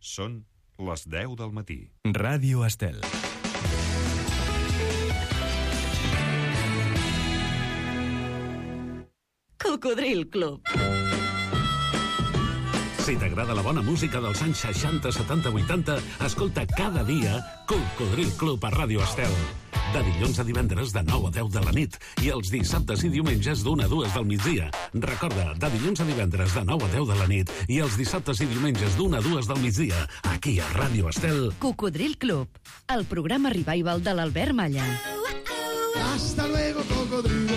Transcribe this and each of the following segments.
Són les 10 del matí. Ràdio Estel. Cocodril Club. Si t'agrada la bona música dels anys 60, 70, 80, escolta cada dia Cocodril Club a Ràdio Estel. De dilluns a divendres de 9 a 10 de la nit i els dissabtes i diumenges d'1 a 2 del migdia. Recorda, de dilluns a divendres de 9 a 10 de la nit i els dissabtes i diumenges d'1 a 2 del migdia, aquí a Ràdio Estel. Cocodril Club, el programa revival de l'Albert Malla. Hasta luego, cocodrilo.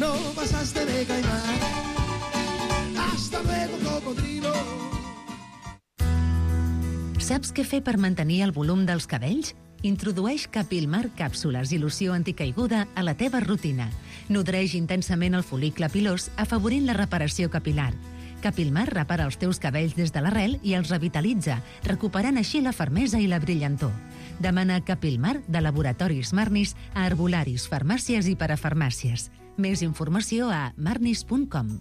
No pasaste de caimán. Hasta luego, cocodrilo. Saps què fer per mantenir el volum dels cabells? Introdueix Capilmar càpsules i loció anticaiguda a la teva rutina. Nodreix intensament el fol·licle pilós, afavorint la reparació capilar. Capilmar repara els teus cabells des de l'arrel i els revitalitza, recuperant així la fermesa i la brillantor. Demana Capilmar de Laboratoris Marnis a herbolaris, farmàcies i parafarmàcies. Més informació a marnis.com.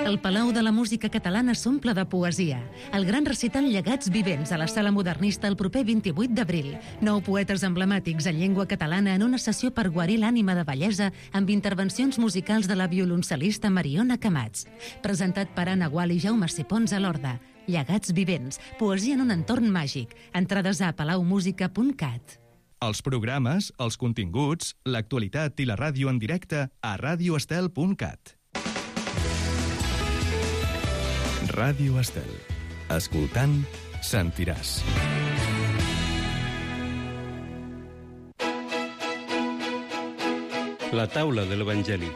El Palau de la Música Catalana s'omple de poesia. El gran recital Llegats Vivents a la Sala Modernista el proper 28 d'abril. 9 poetes emblemàtics en llengua catalana en una sessió per guarir l'ànima de bellesa amb intervencions musicals de la violoncel·lista Mariona Camats. Presentat per Anna Gual i Jaume Sipons a l'Horda. Llegats Vivents, poesia en un entorn màgic. Entrades a palaumusica.cat. Els programes, els continguts, l'actualitat i la ràdio en directe a radioestel.cat. Ràdio Estel. Escoltant, sentiràs. La taula de l'Evangeli.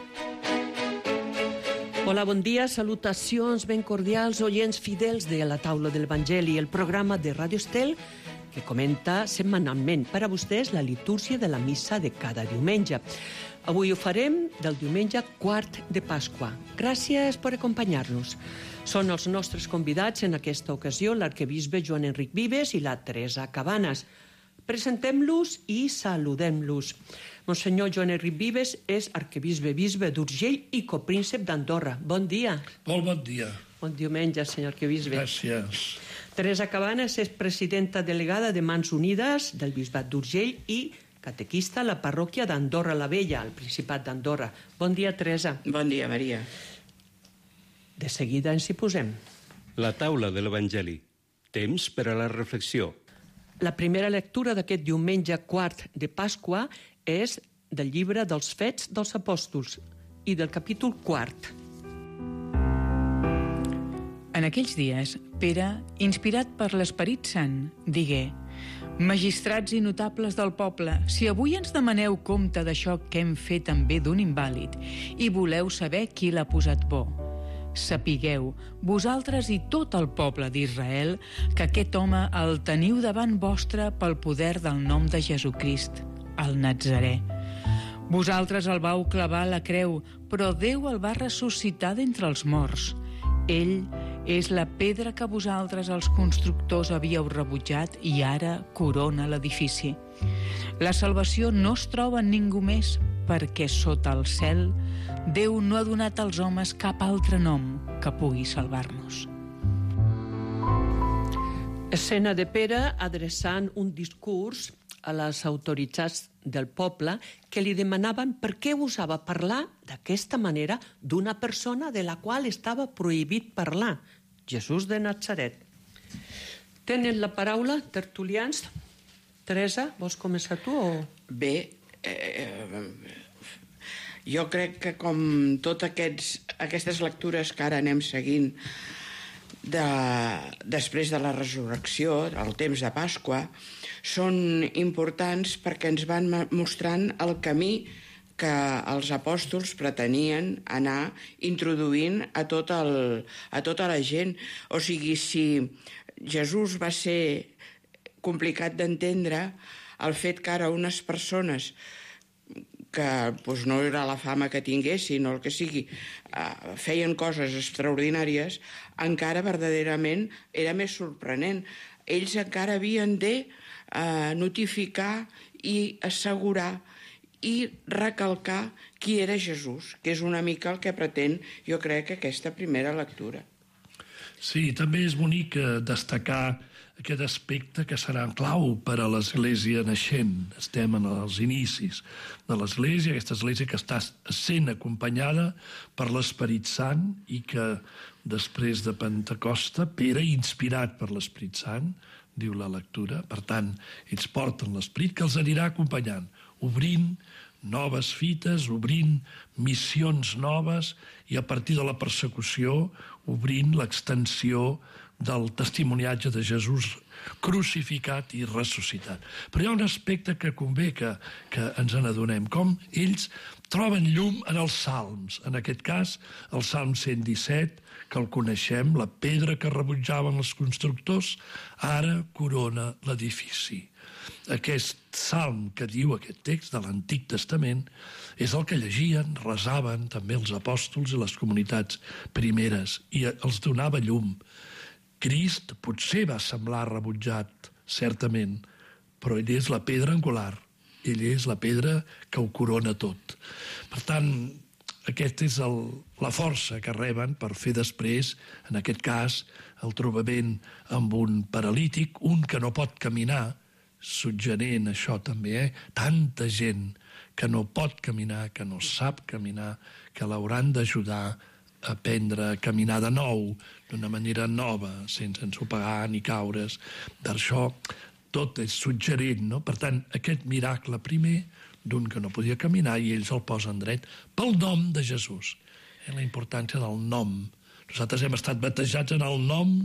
Hola, bon dia, salutacions ben cordials, oients fidels de la taula de l'Evangeli, el programa de Ràdio Estel que comenta setmanalment per a vostès la litúrgia de la missa de cada diumenge. Avui ho farem del diumenge quart de Pasqua. Gràcies per acompanyar-nos. Són els nostres convidats en aquesta ocasió l'arquebisbe Joan Enric Vives i la Teresa Cabanes. Presentem-los i saludem-los. Monsenyor Joan Enric Vives és arquebisbe d'Urgell i copríncep d'Andorra. Bon dia. Molt bon dia. Bon diumenge, senyor arquebisbe. Gràcies. Teresa Cabanes és presidenta delegada de Mans Unides del Bisbat d'Urgell i catequista a la parròquia d'Andorra la Vella, al Principat d'Andorra. Bon dia, Teresa. Bon dia, Maria. De seguida ens hi posem. La taula de l'Evangeli. Temps per a la reflexió. La primera lectura d'aquest diumenge quart de Pasqua és del llibre dels Fets dels Apòstols i del capítol quart. En aquells dies, Pere, inspirat per l'Esperit Sant, digué: Magistrats i notables del poble, si avui ens demaneu compte d'això que hem fet amb bé d'un invàlid i voleu saber qui l'ha posat bo, sapigueu, vosaltres i tot el poble d'Israel, que aquest home el teniu davant vostre pel poder del nom de Jesucrist, el Natzarè. Vosaltres el vau clavar a la creu, però Déu el va ressuscitar d'entre els morts. Ell és la pedra que vosaltres, els constructors, havíeu rebutjat i ara corona l'edifici. La salvació no es troba en ningú més, perquè sota el cel Déu no ha donat als homes cap altre nom que pugui salvar-nos. Escena de Pere adreçant un discurs a les autoritats del poble que li demanaven per què gosava parlar d'aquesta manera d'una persona de la qual estava prohibit parlar, Jesús de Natzaret. Tenen la paraula, tertulians. Teresa, vols començar tu o...? Bé, jo crec que com totes aquestes lectures que ara anem seguint després de la resurrecció, el temps de Pasqua, són importants perquè ens van mostrant el camí que els apòstols pretenien anar introduint a tota la gent. O sigui, si Jesús va ser complicat d'entendre, el fet que ara unes persones que no era la fama que tinguessin o el que sigui, feien coses extraordinàries, encara verdaderament era més sorprenent. Ells encara havien de notificar i assegurar i recalcar qui era Jesús, que és una mica el que pretén, jo crec, aquesta primera lectura. Sí, també és bonic destacar aquest aspecte que serà clau per a l'Església naixent. Estem en els inicis de l'Església, aquesta Església que està sent acompanyada per l'Esperit Sant i que després de Pentecosta, Pere, inspirat per l'Esperit Sant, diu la lectura, per tant, ells porten l'Esperit que els anirà acompanyant, obrint noves fites, obrint missions noves i a partir de la persecució obrint l'extensió del testimoniatge de Jesús crucificat i ressuscitat. Però hi ha un aspecte que convé que ens n'adonem, com ells troben llum en els salms, en aquest cas el Salm 117, que el coneixem, la pedra que rebutjaven els constructors, ara corona l'edifici. Aquest salm que diu aquest text de l'Antic Testament és el que llegien, resaven també els apòstols i les comunitats primeres i els donava llum. Crist potser va semblar rebutjat, certament, però ell és la pedra angular, ell és la pedra que ho corona tot. Per tant, aquesta és la força que reben per fer després, en aquest cas, el trobament amb un paralític, un que no pot caminar, suggerent això també, tanta gent que no pot caminar, que no sap caminar, que l'hauran d'ajudar a aprendre a caminar de nou, d'una manera nova, sense ensopegar ni caure's. D'això tot és suggerent, no? Per tant, aquest miracle primer d'un que no podia caminar i ells el posen dret pel nom de Jesús. La importància del nom. Nosaltres hem estat batejats en el nom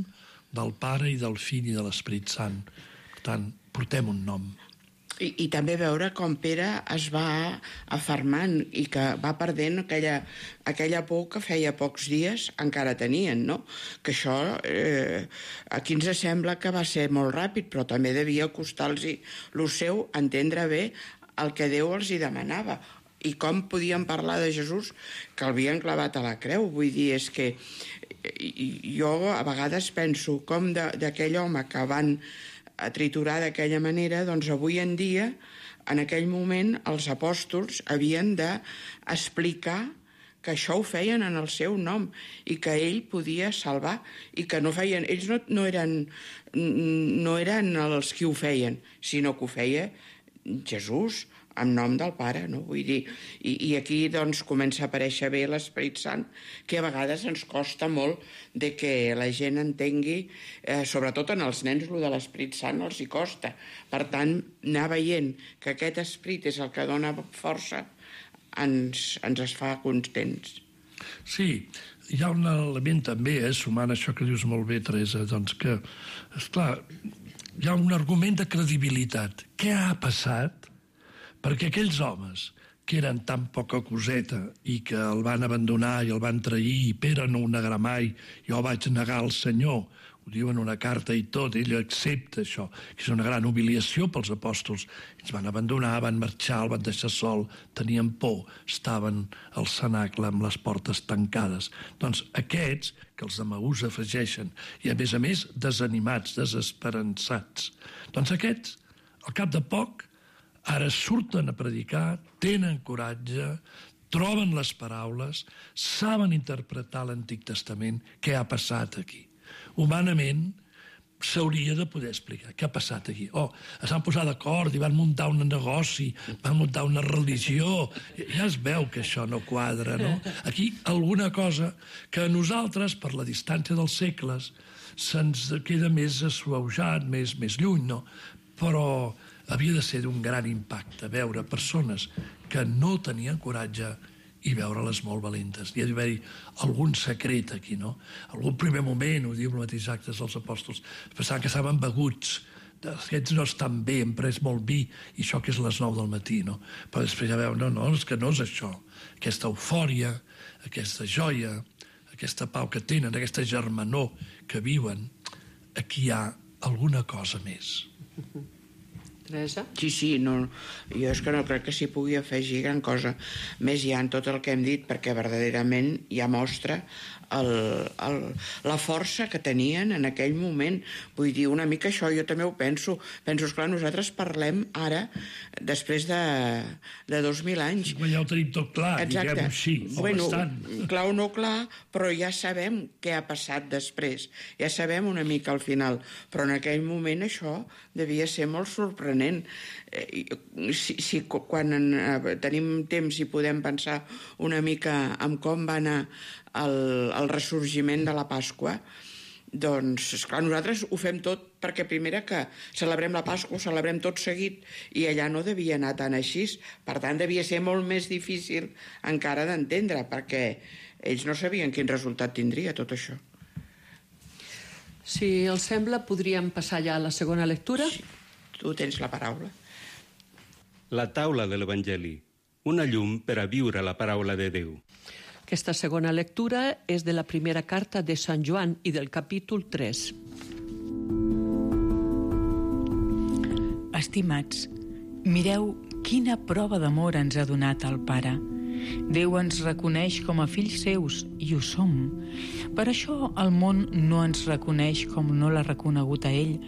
del Pare i del Fill i de l'Esperit Sant. Per tant, portem un nom. I també veure com Pere es va afermant i que va perdent aquella por que feia pocs dies encara tenien, no? Que això aquí ens sembla que va ser molt ràpid, però també devia costar-los el seu entendre bé el que Déu els hi demanava i com podien parlar de Jesús que l'havien clavat a la creu. Vull dir, és que jo a vegades penso com d'aquell home que van a triturar d'aquella manera, doncs avui en dia, en aquell moment, els apòstols havien d'explicar que això ho feien en el seu nom i que ell podia salvar i que no feien... Ells no eren els qui ho feien, sinó que ho feia Jesús, en nom del Pare, no? Vull dir, i aquí doncs comença a aparèixer bé l'Esperit Sant, que a vegades ens costa molt de que la gent entengui, sobretot en els nens, el de l'Esperit Sant els hi costa. Per tant, anar veient que aquest esperit és el que dona força ens es fa contents. Sí, hi ha un element també, sumant això que dius molt bé, Teresa, doncs que, esclar, hi ha un argument de credibilitat. Què ha passat perquè aquells homes que eren tan poca coseta i que el van abandonar i el van trair i Pere no ho negarà mai, jo vaig negar el Senyor, ho diu en una carta i tot, ell accepta això, que és una gran humiliació pels apòstols. Ells van abandonar, van marxar, el van deixar sol, tenien por, estaven al cenacle amb les portes tancades. Doncs aquests, que els de Maús afegeixen, i a més desanimats, desesperançats, doncs aquests, al cap de poc, ara surten a predicar, tenen coratge, troben les paraules, saben interpretar l'Antic Testament. Què ha passat aquí? Humanament s'hauria de poder explicar què ha passat aquí. Es van posar d'acord i van muntar un negoci, van muntar una religió. Ja es veu que això no quadra, no? Aquí alguna cosa que a nosaltres, per la distància dels segles, se'ns queda més assuaujat, més lluny, no? Però havia de ser d'un gran impacte veure persones que no tenien coratge i veure-les molt valentes. Hi ha d'haver algun secret aquí, no? Algun primer moment, ho diu el mateix Actes dels Apòstols, pensaven que estaven beguts, aquests no estan bé, hem pres molt vi, i això que és les 9 del matí, no? Però després ja veu, no, és que no és això. Aquesta eufòria, aquesta joia, aquesta pau que tenen, aquesta germanor que viuen, aquí hi ha alguna cosa més. Teresa? Sí, no, jo és que no crec que s'hi pugui afegir gran cosa més ja en tot el que hem dit, perquè verdaderament ja mostra la força que tenien en aquell moment. Vull dir, una mica això jo també ho penso. Penso, esclar, nosaltres parlem ara, després de 2.000 anys. Ja ho tenim tot clar, diguem-ho així, bueno, bastant. clar o no clar, però ja sabem què ha passat després. Ja sabem una mica al final. Però en aquell moment això devia ser molt sorprenent. Si quan tenim temps i podem pensar una mica en com va anar el ressorgiment de la Pasqua, doncs, esclar, nosaltres ho fem tot perquè primera que celebrem la Pasqua, ho celebrem tot seguit, i allà no devia anar tan així. Per tant, devia ser molt més difícil encara d'entendre, perquè ells no sabien quin resultat tindria tot això. Si els sembla, podríem passar ja a la segona lectura? Sí, tu tens la paraula. La taula de l'Evangeli, una llum per a viure la paraula de Déu. Aquesta segona lectura és de la primera carta de Sant Joan i del capítol 3. Estimats, mireu quina prova d'amor ens ha donat el Pare. Déu ens reconeix com a fills seus, i ho som. Per això el món no ens reconeix com no l'ha reconegut a ell.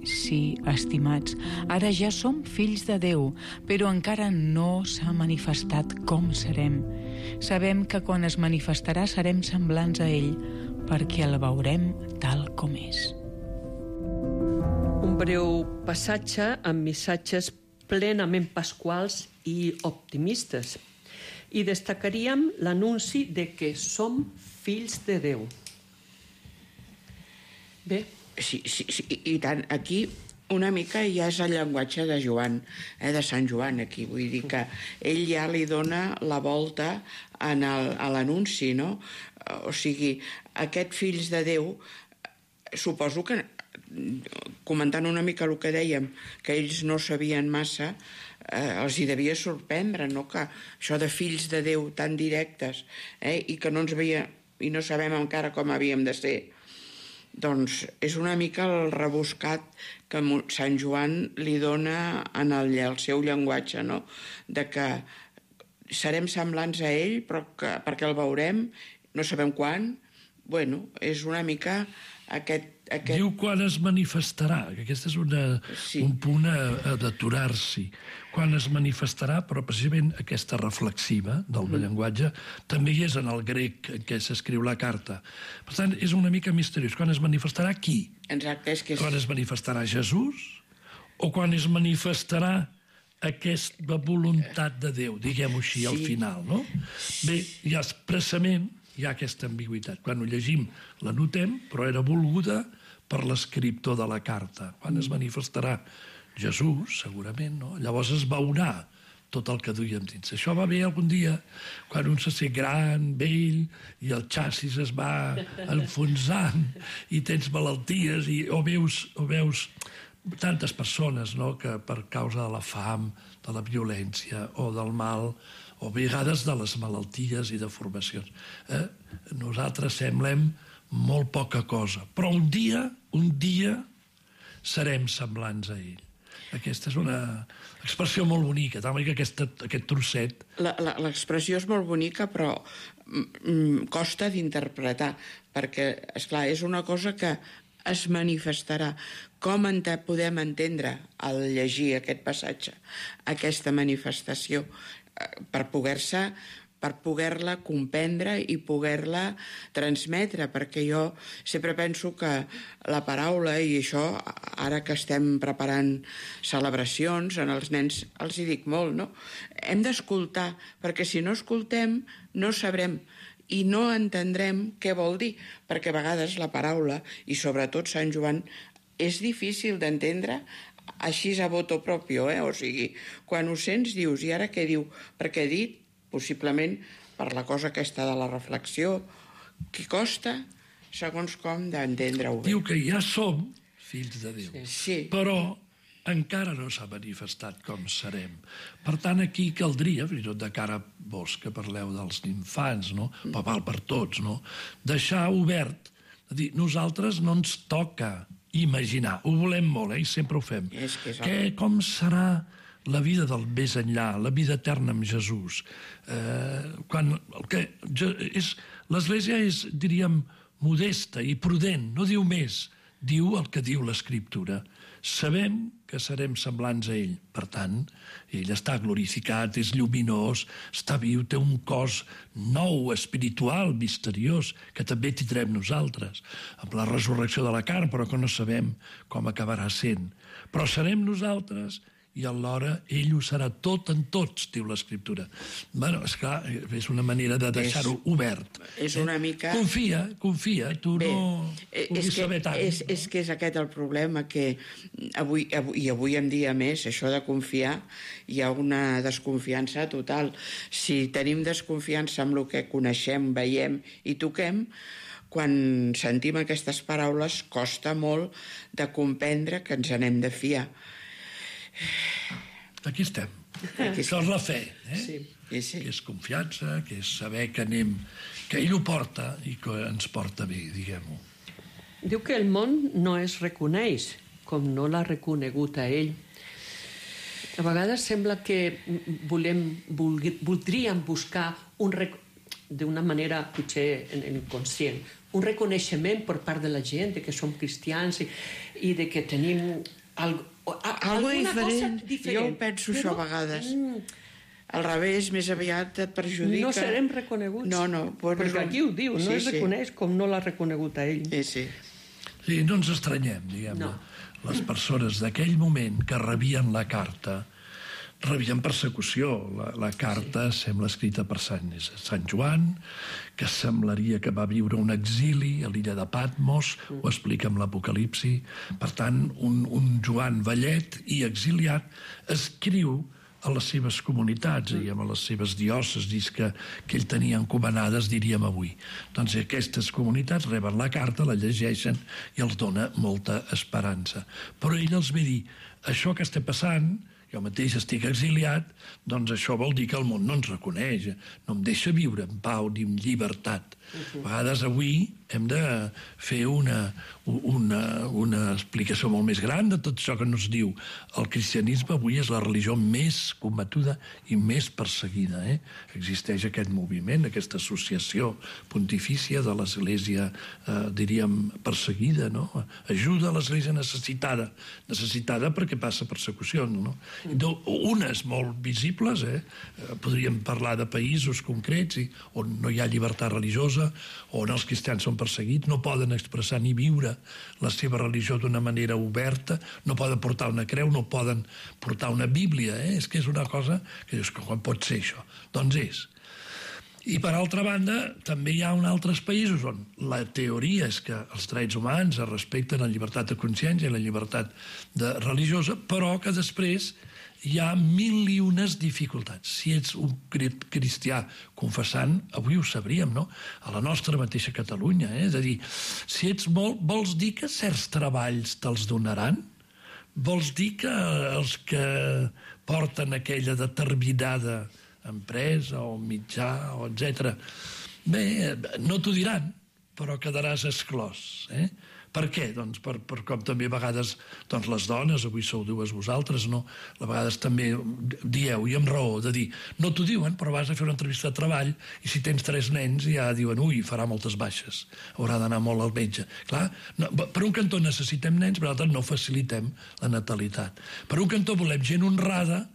Sí, estimats, ara ja som fills de Déu, però encara no s'ha manifestat com serem. Sabem que quan es manifestarà serem semblants a ell, perquè el veurem tal com és. Un breu passatge amb missatges plenament pasquals i optimistes. I destacaríem l'anunci de que som fills de Déu. Bé. Sí, i tant. Aquí una mica ja és el llenguatge de Joan, de Sant Joan, aquí. Vull dir que ell ja li dona la volta a l'anunci, no? O sigui, aquest fills de Déu, suposo que, comentant una mica el que dèiem, que ells no sabien massa, els hi devia sorprendre, no?, que això de fills de Déu tan directes, i que no ens veia, i no sabem encara com havíem de ser. Doncs és una mica el rebuscat que Sant Joan li dona en el seu llenguatge, no?, de que serem semblants a ell, però perquè el veurem, no sabem quan. Bueno, és una mica aquest... Diu quan es manifestarà, que aquest és un punt d'aturar-s'hi. Quan es manifestarà, però precisament aquesta reflexiva del llenguatge també hi és en el grec en què s'escriu la carta. Per tant, és una mica misteriós. Quan es manifestarà qui? Exacte, és que... Quan es manifestarà Jesús? O quan es manifestarà aquesta voluntat de Déu, diguem-ho així, al final, no? Bé, ja expressament hi ha aquesta ambigüitat. Quan ho llegim la notem, però era volguda per l'escriptor de la carta. Quan es manifestarà Jesús, segurament, no? Llavors es veurà tot el que duíem dins. Això va bé algun dia, quan un se sent gran, vell, i el xassis es va enfonsant, i tens malalties, o veus tantes persones, no?, que per causa de la fam, de la violència o del mal, o a vegades de les malalties i deformacions, nosaltres semblem molt poca cosa, però un dia serem semblants a ell. Aquesta és una expressió molt bonica, també que aquest trosset... L'expressió és molt bonica, però costa d'interpretar, perquè, esclar, és una cosa que es manifestarà. Com podem entendre al llegir aquest passatge, aquesta manifestació, per poder-la comprendre i poder-la transmetre, perquè jo sempre penso que la paraula, i això, ara que estem preparant celebracions, als nens els hi dic molt, no? Hem d'escoltar, perquè si no escoltem no sabrem i no entendrem què vol dir, perquè a vegades la paraula, i sobretot Sant Joan, és difícil d'entendre així a voto propio, o sigui, quan ho sents dius, i ara què diu? Perquè he dit, possiblement per la cosa aquesta de la reflexió, que costa, segons com, d'entendre-ho bé. Diu que ja som fills de Déu, però encara no s'ha manifestat com serem. Per tant, aquí caldria, fins i tot de cara a vos, que parleu dels infants, no? Però val per tots, no? Deixar obert, és a dir, nosaltres no ens toca imaginar. Ho volem molt, i sempre ho fem. Com serà la vida del més enllà, la vida eterna amb Jesús? L'Església és, diríem, modesta i prudent, no diu més, diu el que diu l'Escriptura. Sabem que serem semblants a ell. Per tant, ell està glorificat, és lluminós, està viu, té un cos nou, espiritual, misteriós, que també tindrem nosaltres, amb la resurrecció de la carn, però que no sabem com acabarà sent. Però serem nosaltres i alhora ell ho serà tot en tots, diu l'Escriptura. Bueno, esclar, és una manera de deixar-ho obert. És una mica... Confia, tu no puguis saber tant. És que és aquest el problema, que avui en dia més, això de confiar, hi ha una desconfiança total. Si tenim desconfiança amb el que coneixem, veiem i toquem, quan sentim aquestes paraules costa molt de comprendre que ens n'hem de fiar. Aquí estem. Això és la fe, que és confiança, que és saber que anem, que ell ho porta i que ens porta bé, diguem-ho. Diu que el món no es reconeix com no l'ha reconegut a ell. A vegades sembla que voldríem buscar d'una manera potser inconscient, un reconeixement per part de la gent de que som cristians i de que tenim alguna cosa diferent. Jo penso això a vegades. Al revés, més aviat et perjudica. No serem reconeguts. No. Perquè aquí ho diu, no es reconeix com no l'ha reconegut a ell. Sí, no ens estranyem, diguem-ne. Les persones d'aquell moment que rebien la carta rebien persecució. La carta sembla escrita per Sant Joan, que semblaria que va viure un exili a l'illa de Patmos, ho explica amb l'Apocalipsi. Per tant, un Joan vellet i exiliat escriu a les seves comunitats i a les seves diòcesis que ell tenia encomanades, diríem avui. Doncs aquestes comunitats reben la carta, la llegeixen i els dona molta esperança. Però ell els ve dir, això que està passant, jo mateix estic exiliat, doncs això vol dir que el món no ens reconeix, no em deixa viure en pau ni en llibertat. A vegades avui hem de fer una explicació molt més gran de tot això que ens diu. El cristianisme avui és la religió més combatuda i més perseguida. Existeix aquest moviment, aquesta associació pontifícia de l'Església, diríem, perseguida, no? Ajuda a l'Església necessitada perquè passa persecució, no? Unes molt visibles, podríem parlar de països concrets on no hi ha llibertat religiosa, on els cristians són perseguits, no poden expressar ni viure la seva religió d'una manera oberta, no poden portar una creu, no poden portar una Bíblia. És que és una cosa que dius, com pot ser això? Doncs és. I per altra banda, també hi ha altres països on la teoria és que els drets humans es respecten la llibertat de consciència i la llibertat religiosa, però que després hi ha mil i unes dificultats. Si ets un cristià confessant, avui ho sabríem, no? A la nostra mateixa Catalunya, és a dir, si ets vols dir que certs treballs te'ls donaran? Vols dir que els que porten aquella determinada empresa o mitjà, o etc. Bé, no t'ho diran, però quedaràs exclòs. Per què? Doncs per com també a vegades les dones, avui sou dues vosaltres, no? A vegades també dieu, i amb raó, de dir, no t'ho diuen, però vas a fer una entrevista de treball i si tens 3 nens ja diuen, ui, farà moltes baixes, haurà d'anar molt al metge. Clar, per un cantó necessitem nens, per l'altre no facilitem la natalitat. Per un cantó volem gent honrada,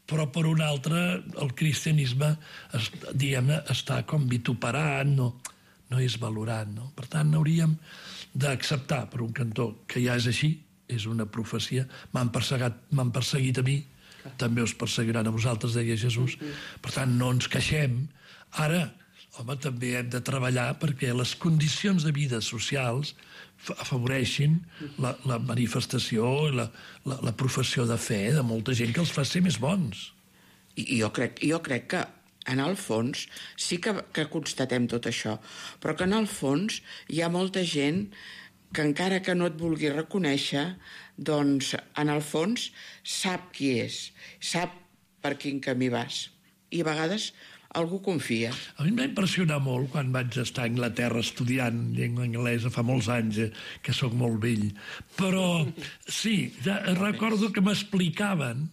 però per un altre el cristianisme, diguem-ne, està com vituperat, no és valorat, no? Per tant, hauríem d'acceptar per un cantó que ja és així, és una profecia, m'han perseguit a mi, també us perseguiran a vosaltres, deia Jesús. Per tant, no ens queixem. Ara, home, també hem de treballar perquè les condicions de vida socials afavoreixin la manifestació, la professió de fe de molta gent que els fa ser més bons. I jo crec que en el fons sí que constatem tot això, però que en el fons hi ha molta gent que encara que no et vulgui reconèixer, doncs en el fons sap qui és, sap per quin camí vas. I a vegades algú confia. A mi em va impressionar molt quan vaig estar a Anglaterra estudiant llengua anglesa fa molts anys, que sóc molt vell. Però sí, ja recordo que m'explicaven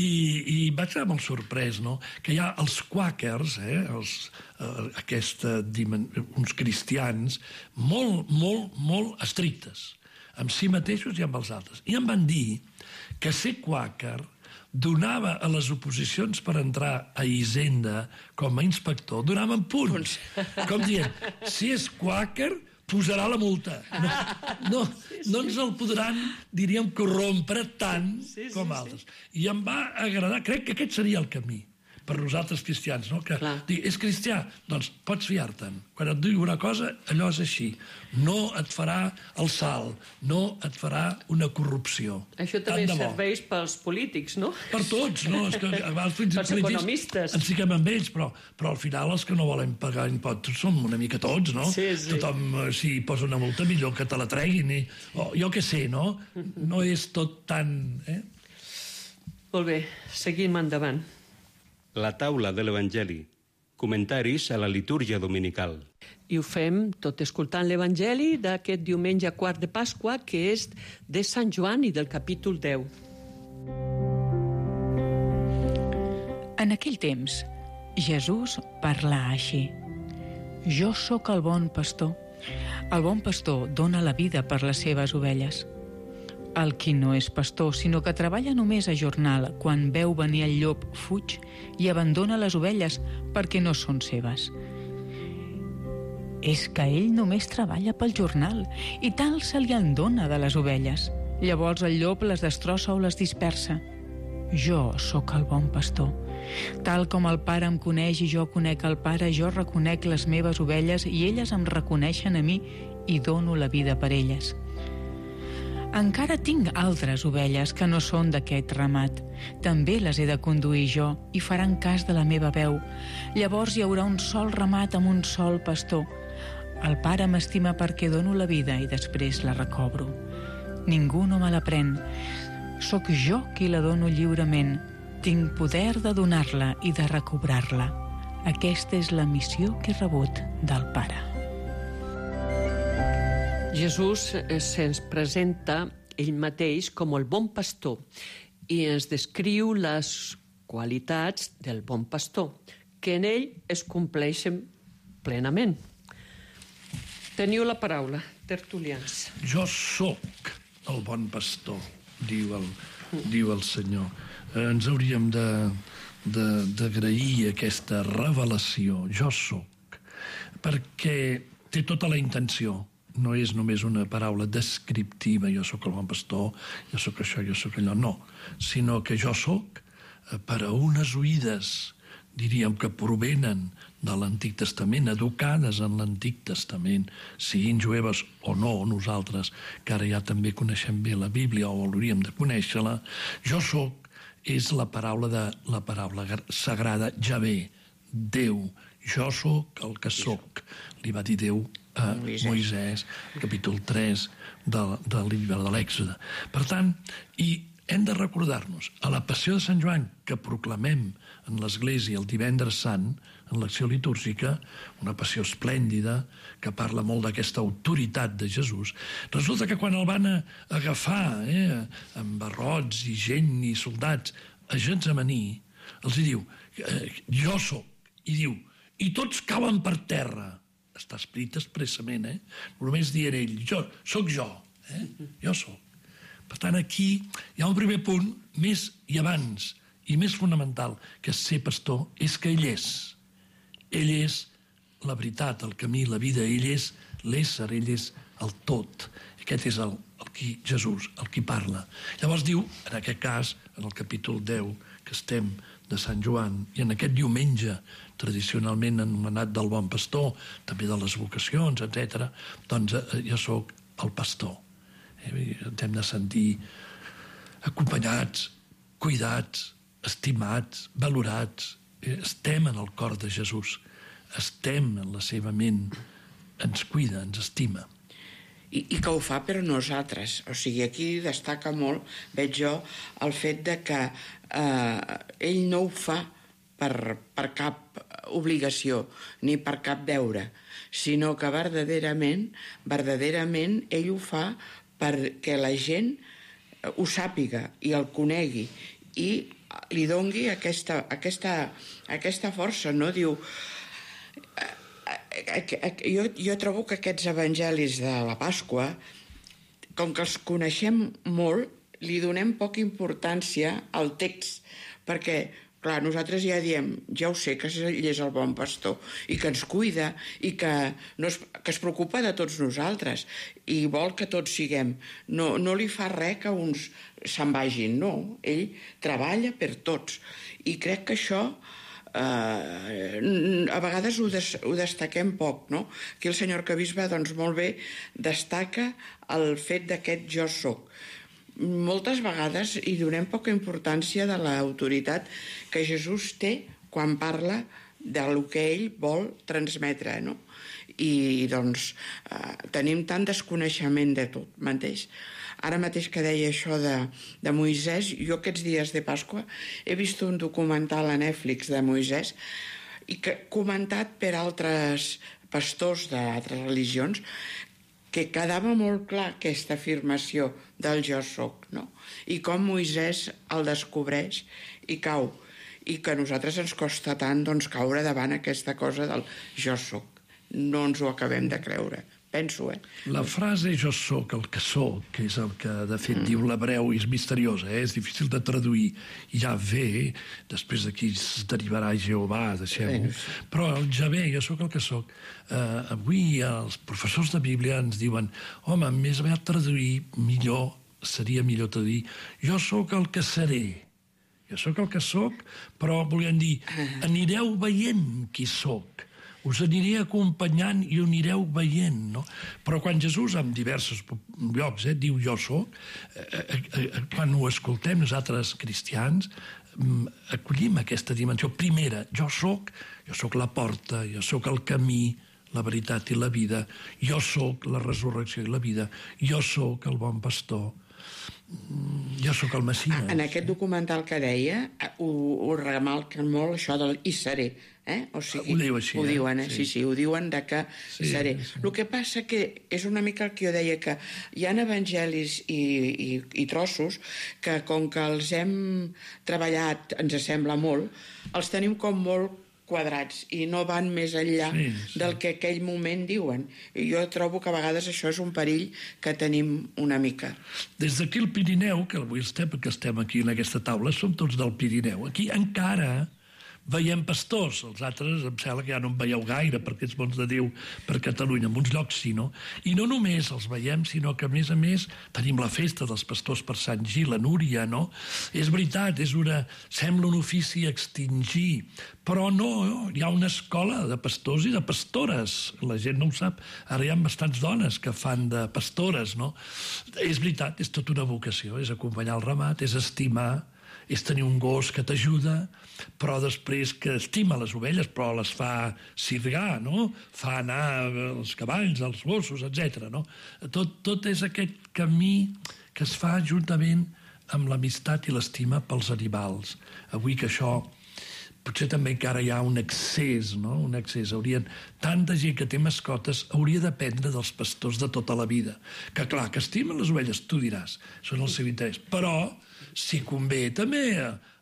i vaig estar molt sorprès, no? Que hi ha els quàquers, uns cristians molt estrictes, amb si mateixos i amb els altres. I em van dir que ser quàquer donava a les oposicions per entrar a Hisenda com a inspector, donaven punts. Com dient, si és quàquer, posarà la multa. No ens el podran, diríem, corrompre tant com altres. I em va agradar, crec que aquest seria el camí per nosaltres cristians, no? Que és cristià, doncs pots fiar-te'n. Quan et diu una cosa, allò és així. No et farà el salt, no et farà una corrupció. Això també serveix pels polítics, no? Per tots, no? Pels economistes. Ens fiquem amb ells, però al final els que no volen pagar impostos som una mica tots, no? Tothom, si posa una multa, millor que te la treguin. Jo què sé, no? No és tot tan... Molt bé, seguim endavant. La taula de l'Evangeli. Comentaris a la litúrgia dominical. I ho fem tot escoltant l'Evangeli d'aquest diumenge quart de Pasqua, que és de Sant Joan i del capítol 10. En aquell temps, Jesús parlà així. Jo sóc el bon pastor. El bon pastor dona la vida per les seves ovelles. El qui no és pastor, sinó que treballa només a jornal, quan veu venir el llop, fuig i abandona les ovelles perquè no són seves. És que ell només treballa pel jornal i tal se li en dona de les ovelles. Llavors el llop les destrossa o les dispersa. Jo sóc el bon pastor. Tal com el Pare em coneix i jo conec el Pare, jo reconec les meves ovelles i elles em reconeixen a mi i dono la vida per elles. Encara tinc altres ovelles que no són d'aquest ramat. També les he de conduir jo i faran cas de la meva veu. Llavors hi haurà un sol ramat amb un sol pastor. El Pare m'estima perquè dono la vida i després la recobro. Ningú no me la pren. Soc jo qui la dono lliurement. Tinc poder de donar-la i de recobrar-la. Aquesta és la missió que he rebut del Pare. Jesús se'ns presenta ell mateix com el bon pastor i ens descriu les qualitats del bon pastor, que en ell es compleixen plenament. Teniu la paraula, tertulians. Jo sóc el bon pastor, diu el Senyor. Ens hauríem d'agrair aquesta revelació, jo sóc, perquè té tota la intenció. No és només una paraula descriptiva, jo sóc el bon pastor, jo sóc això, jo sóc allò, no. Sinó que jo sóc per a unes oïdes, diríem que provenen de l'Antic Testament, educades en l'Antic Testament, siguin jueves o no, nosaltres, que ara ja també coneixem bé la Bíblia o hauríem de conèixer-la. Jo sóc és la paraula sagrada Javé, Déu. Jo sóc el que sóc, li va dir Déu a Moisès, capítol 3 del llibre de l'Èxode. Per tant, i hem de recordar-nos, a la Passió de Sant Joan, que proclamem en l'Església el divendres sant, en l'acció litúrgica, una passió esplèndida, que parla molt d'aquesta autoritat de Jesús, resulta que quan el van agafar amb barrots i gent i soldats a Getsemaní, els diu, jo sóc, i diu, i tots cauen per terra. Està escrit expressament, només dient ell, sóc jo, jo sóc. Per tant, aquí hi ha un primer punt, més i abans, i més fonamental, que ser pastor, és que ell és. Ell és la veritat, el camí, la vida, ell és l'ésser, ell és el tot. Aquest és el Jesús, el qui parla. Llavors diu, en aquest cas, en el capítol 10, que estem de Sant Joan, i en aquest diumenge, tradicionalment anomenat del bon pastor, també de les vocacions, etc., doncs jo sóc el pastor. Ens hem de sentir acompanyats, cuidats, estimats, valorats. Estem en el cor de Jesús, estem en la seva ment, ens cuida, ens estima. I que ho fa per nosaltres. O sigui, aquí destaca molt, veig jo, el fet de que ell no ho fa per cap obligació ni per cap deure, sinó que verdaderament ell ho fa perquè la gent ho sàpiga i el conegui i li dongui aquesta força, no? Diu... Jo trobo que aquests evangelis de la Pasqua, com que els coneixem molt, li donem poca importància al text, perquè, clar, nosaltres ja diem, ja ho sé, que ell és el bon pastor, i que ens cuida, i que es preocupa de tots nosaltres, i vol que tots siguem. No li fa res que uns se'n vagin, no. Ell treballa per tots. I crec que això a vegades ho destaquem poc, no? Aquí el senyor arquebisbe, doncs, molt bé destaca el fet d'aquest jo soc. Moltes vegades hi donem poca importància de l'autoritat que Jesús té quan parla del que ell vol transmetre, no? I, doncs, tenim tant desconeixement de tot mateix. Ara mateix que deia això de Moisès, jo aquests dies de Pasqua he vist un documental a Netflix de Moisès i comentat per altres pastors d'altres religions, que quedava molt clar aquesta afirmació del jo soc, no? I com Moisès el descobreix i cau, i que a nosaltres ens costa tant, doncs, caure davant aquesta cosa del jo soc. No ens ho acabem de creure. Penso, La frase jo soc el que soc, que és el que de fet diu l'hebreu, és misteriosa, és difícil de traduir. Ja ve, després d'aquí es derivarà Jehovà, deixem-ho. Però el Javé, jo soc el que soc. Avui els professors de Bíblia ens diuen, home, més aviat traduir millor, seria millor traduir, jo soc el que seré. Jo soc el que soc, però volien dir, anireu veient qui soc. Us aniré acompanyant i ho anireu veient, no? Però quan Jesús, en diversos llocs, diu jo soc, quan ho escoltem nosaltres cristians, acollim aquesta dimensió. Primera, jo soc la porta, jo soc el camí, la veritat i la vida, jo soc la resurrecció i la vida, jo soc el bon pastor, jo sóc el Messies. En aquest documental que deia, ho remarquen molt, això del i seré. O sigui, ho diu així. Ho diuen, sí, ho diuen de que seré. El que passa que és una mica el que jo deia, que hi ha evangelis i trossos que, com que els hem treballat, ens sembla molt, els tenim com molt quadrats i no van més enllà del que aquell moment diuen. I jo trobo que a vegades això és un perill que tenim una mica. Des d'aquí el Pirineu, que avui estem aquí en aquesta taula, som tots del Pirineu. Aquí encara veiem pastors, els altres em sembla que ja no en veieu gaire perquè ets bons de Déu per Catalunya, en uns llocs sí, no? I no només els veiem, sinó que a més tenim la festa dels pastors per Sant Gil, la Núria, no? És veritat, sembla un ofici a extingir, però no, hi ha una escola de pastors i de pastores, la gent no ho sap, ara hi ha bastants dones que fan de pastores, no? És veritat, és tota una vocació, és acompanyar el ramat, és estimar, és tenir un gos que t'ajuda, però després que estima les ovelles, però les fa sirgar, no? Fa anar els cavalls, els gossos, etc. No? Tot és aquest camí que es fa juntament amb l'amistat i l'estima pels animals. Avui que això potser també encara hi ha un excés, no? Un excés. Tanta gent que té mascotes hauria d'aprendre dels pastors de tota la vida. Que clar, que estimen les ovelles, tu diràs, són el seu interès. Però, si convé, també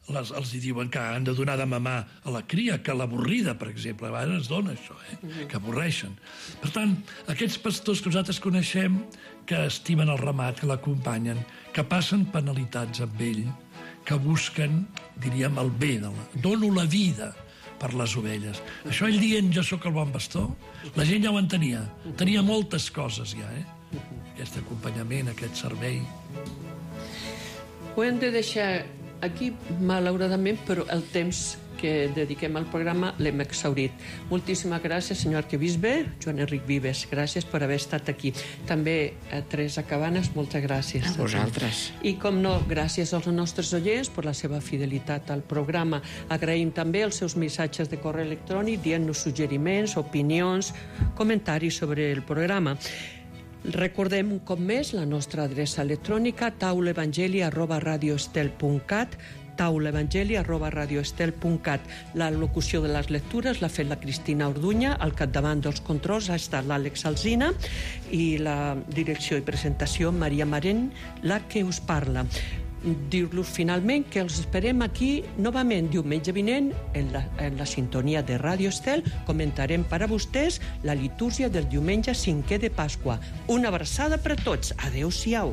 els diuen que han de donar de mamar a la cria, que l'avorrida, per exemple, a vegades es dona això, que avorreixen. Per tant, aquests pastors que nosaltres coneixem, que estimen el ramat, que l'acompanyen, que passen penalitats amb ell, que busquen, diríem, el bé, dono la vida per les ovelles. Això ell dient jo sóc el bon pastor, la gent ja ho entenia. Tenia moltes coses ja, aquest acompanyament, aquest servei. Ho hem de deixar aquí, malauradament, però el temps que dediquem al programa l'hem exhaurit. Moltíssimes gràcies, senyor arquebisbe, Joan Enric Vives. Gràcies per haver estat aquí. També a Teresa Cabanes, moltes gràcies. A vosaltres. I, com no, gràcies als nostres oients per la seva fidelitat al programa. Agraïm també els seus missatges de correu electrònic dient-nos suggeriments, opinions, comentaris sobre el programa. Recordem un cop més la nostra adreça electrònica taulaevangeli@radioestel.cat, taulaevangeli@radioestel.cat. La locució de les lectures l'ha fet la Cristina Orduña, al capdavant dels controls ha estat l'Àlex Alsina i la direcció i presentació Maria Marent, la que us parla. Dir-los finalment que els esperem aquí novament diumenge vinent en la sintonia de Ràdio Estel. Comentarem per a vostès la litúrgia del diumenge 5è de Pasqua. Una abraçada per a tots. Adéu-siau.